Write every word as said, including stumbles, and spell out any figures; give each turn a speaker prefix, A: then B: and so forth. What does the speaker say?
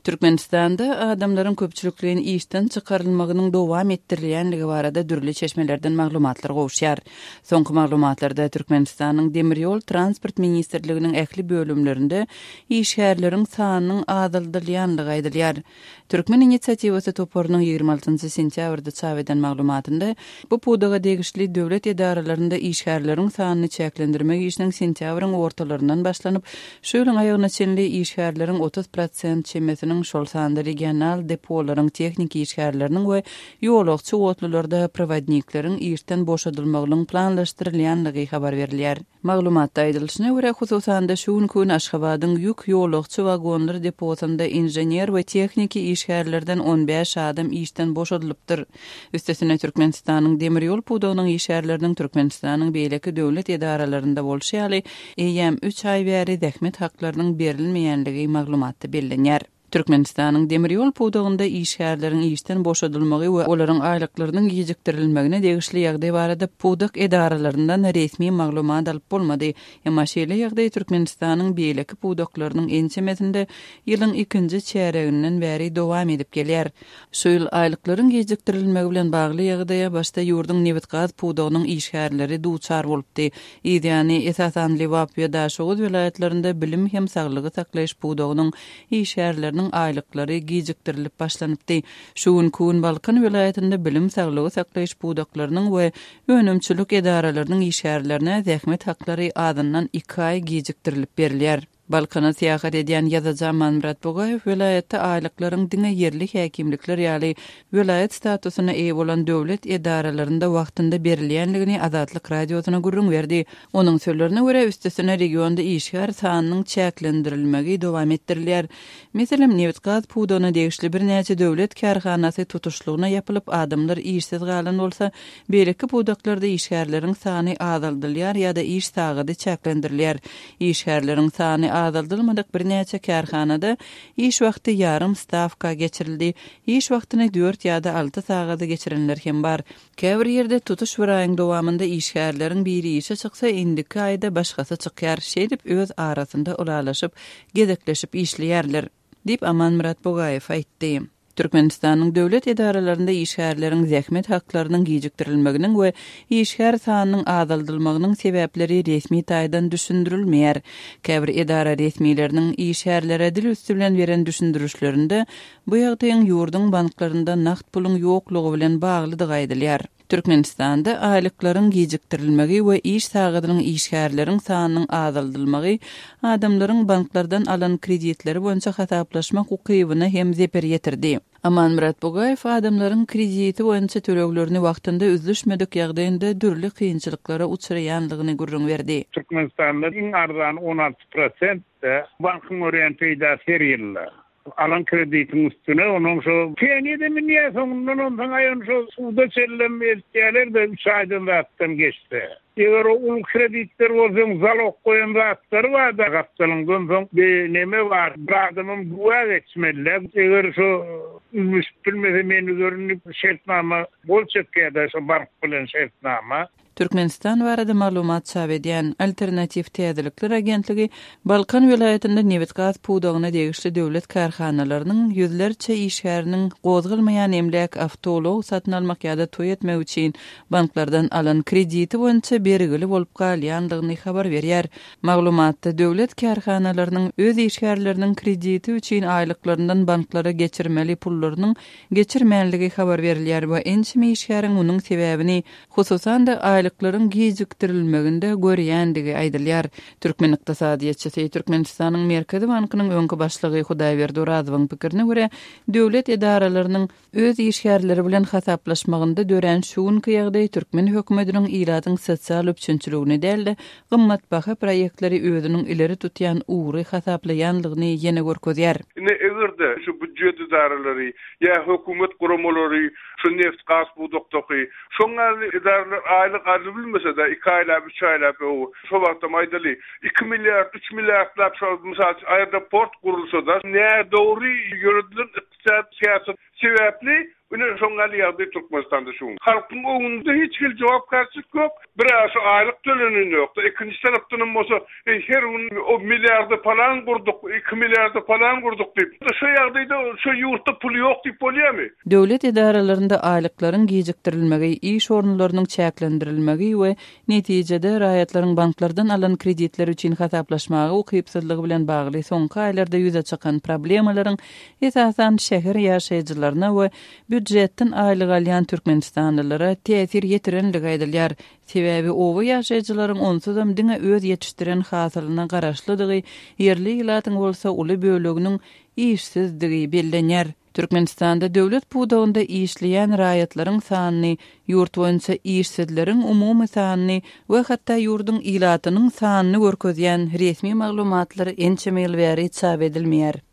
A: Türkmenistanda adamlaryň köpçülikleýin işden çykarylmagynyň dowam etdirilýänligi barada dürli çeşmelerden maglumatlar gowuşýar. Soňky maglumatlarda Türkmenistanyň Demir ýol transport ministrliginiň ähli bölümlerinde işgärleriň sanynyň azaldylýanlygy aýdylýar. Türkmen inisiatiwasy toparynyň ýigrimi altynjy sentýabrda çap eden maglumatynda bu pudaga degişli döwlet edaralarynda işgärleriň sanyny çäklendirmek işiniň sentýabryň ortalaryndan başlanyp, şu ýylyň aýagyna çenli işgärleriň otuz prosent çemesiniň, şol sanda regional depolaryň tehniki işgärleriniň we ýolagçy otlularda prowodnikleriň işden boşadylmagynyň planlaşdyrylýanlygy habar berilýär. Maglumatda aýdylyşyna görä, hususan-da şu günki gün Aşgabadyň ýük ýolagçy wagonlar deposynda inžener we tehniki işgärlerden on bäş adam işden boşadylypdyr. Üstesine Türkmenistanyň demir ýol pudagynyň işgärleriniň Türkmenistanyň beýleki döwlet edaralarynda bolşy ýaly, eýýäm üç aý bäri zähmet haklarynyň berilmeýänligi maglumatda bellenýär. Türkmenistanyň demir ýol pudagynda işgärleriň işden boşadylmagy we olaryň aýlyklarynyň gijikdirilmegine degişli ýagdaý barada pudak edaralaryndan resmi maglumat alyp bolmady. Emma şeýle ýagdaý Türkmenistanyň beýleki pudaklarynyň ençemesinde ýylyň ikinji çäreginden bäri dowam edip gelýär. Şu ýyl aýlyklaryň gijikdirilmegi bilen bagly ýagdaýa başda ýurduň nebit-gaz pudagynyň işgärleri duçar bolupdy. Ýany esasan Lebap we Daşoguz welaýatlarynda bilim hem saglygy saklaýyş pudagynyň işgärleriniň aýlyklary gijikdirilip başlanypdy. Şu gün Kun Balkan welaýatynda bilim saglygy saklaýyş pudaklarynyň we önümçilik edaralarynyň işgärlerine zähmet haklary azyndan iki aý gijikdirilip berilýär. Balkana syýahat edýän ýazyjy Amanmyrat Bugaýew welaýatda aýlyklaryň diňe ýerli häkimlikler ýaly welaýat statusyna eýe bolan döwlet edaralarynda wagtynda berilýänligini Azatlyk radiosyna gürrüň berdi. Onuň sözlerine görä, üstesine regionda işgär sanynyň çäklendirilmegi dowam etdirilýär. Meselem, nebit-gaz pudagyna degişli birnäçe döwlet kärhanasy tutuşlygyna ýapylyp, adamlar işsiz galan bolsa, beýleki pudaklarda işgärleriň sany azaldylýar ýa-da iş sagady çäklendirilýär. Işgärleriň sany azaldylmadyk birnäçe kärhanada iş wagty ýarym stawka geçirildi. Iş wagtyny dört ýa-da alty sagada geçirenler hem bar. Käbir ýerde tutuş bir aýyň dowamynda işgärleriň biri işe çyksa, indiki aýda başgasy çykýar. Şeýdip öz arasynda ulalaşyp, gezekleşip işleýärler, diýip Amanmyrat Bugaýew aýtdy. Türkmenistanyň döwlet edaralarynda işgärleriň zähmet haklarynyň gijikdirilmeginiň we işgär sanynyň azaldylmagynyň sebäpleri resmi taýdan düşündirilmeýär. Käbir edara resmileriniň işgärlere dil üstü bilen beren düşündirişlerinde bu ýagdaýyň ýurduň banklarynda nagt puluň ýoklugy bilen baglydygy aýdylýar. Türkmenistanda aýlyklaryň gijikdirilmegi we iş sagadynyň işgärleriň sanynyň azaldylmagy adamlaryň banklardan alan kreditleri boýunça hasaplaşmak ukybyna hem zeper ýetirdi. Amanmyrat Bugaýew adamlaryň krediti boýunça töleglerini wagtynda üzlüşmedik ýagdaýynda dürli kynçylyklara uçraýanlygyny gürrüň berdi.
B: Türkmenistanda iň arzan on alty prosent bankyň görýän peýdasy her ýylda. Alan kreditiň üstüne onuň şo penýede minýär, soňundan ondan aýan şo suwda çellem eltýärler de üç aýdan zatdan geçse. Eger o uly kreditler bolsa, zalog goýan zatlary bar da gapdalyňdan soň bir neme bar, bir adamym güwä geçmeli. Eger şo üzlüşip bilmese men üzerinde şertnama gol çekýär şo bank bilen şertnama.
A: Türkmenistan barada maglumat çap edýän Alternatiw Täzelikler agentligi Balkan welaýatynda nebit-gaz pudagyna degişli döwlet kärhanalarynyň ýüzlerçe işgäriniň gozgalmaýan emläk awtoulag satyn almak ýa-da toý etmek üçin banklardan alan krediti boýunça bergili bolup galýandygyny habar berýär. Maglumatda döwlet kärhanalarynyň öz işgärleriniň krediti üçin aýlyklaryndan banklara geçirmeli pullarynyň geçirmänligi habar berilýär we ençeme işgäriň munuň sebäbini hususan-da aýlyklaryň gijikdirilmeginde görýändigi aýdylýar. Türkmen ykdysadyýetçisi Türkmenistanyň Merkezi Bankynyň öňki başlygy Hudaýberdi Orazowyň pikirine görä, döwlet edaralarynyň öz işgärleri bilen hasaplaşmagynda dörän şu günki ýagdaý türkmen hökümetiniň ilatyň sosial üpjünçiligini däl-de, gymmatbaha proýektleri özüniň ileri tutýan ugry hasaplaýanlygyny ýene görkezýär.
C: Ine eger-de şu býujet edaralary ýa hökümet guramalary şu neft gaz pudakdaky şoňa edaralar aýlyk alyp bilmese-de iki aýlap, üç aýlap, şo wagtda aýdaly iki milliard, üç milliardlap şo mysal aeroport gurulsa-da nädogry ýöredilen ykdysady syýasat sebäpli Ine şoň ýaly ýagdaý Türkmenistanda şu gün. Halkyň öňünde hiç hili jogapkärçilik ýok. Bir-ä şu aýlyk töleneni ýok-da, ikinji tarapdanam bolsa her gün o milliarda palan gurduk, iki milliarda palan gurduk diýip. Şu ýagdaýda şu ýurtda pul ýok diýip bolýarmy?
A: Döwlet edaralarynda aýlyklaryň gijikdirilmegi, iş orunlarynyň çäklendirilmegi we netijede raýatlaryň banklardan alan kreditleri üçin hasaplaşmaga ukypsyzlygy bilen bagly soňky aýlarda ýüze çykan problemalaryň esasan şäher ýaşaýjylaryna we býujetden aýlyk alýan türkmenistanlylara täsir ýetirenligi aýdylýar. Sebäbi oba ýaşaýjylaryň onsuzam diňe öz ýetişdiren hasylyna garaşlydygy, ýerli ilatyň bolsa uly böleginiň işsizdigi bellenýär. Türkmenistanda döwlet pudagynda işleýän raýatlaryň sanyny, ýurt boýunça işsizleriň umumy sanyny we hatda ýurduň ilatynyň sanyny görkezýän resmi maglumatlar ençeme ýyl bäri çap edilmeýär.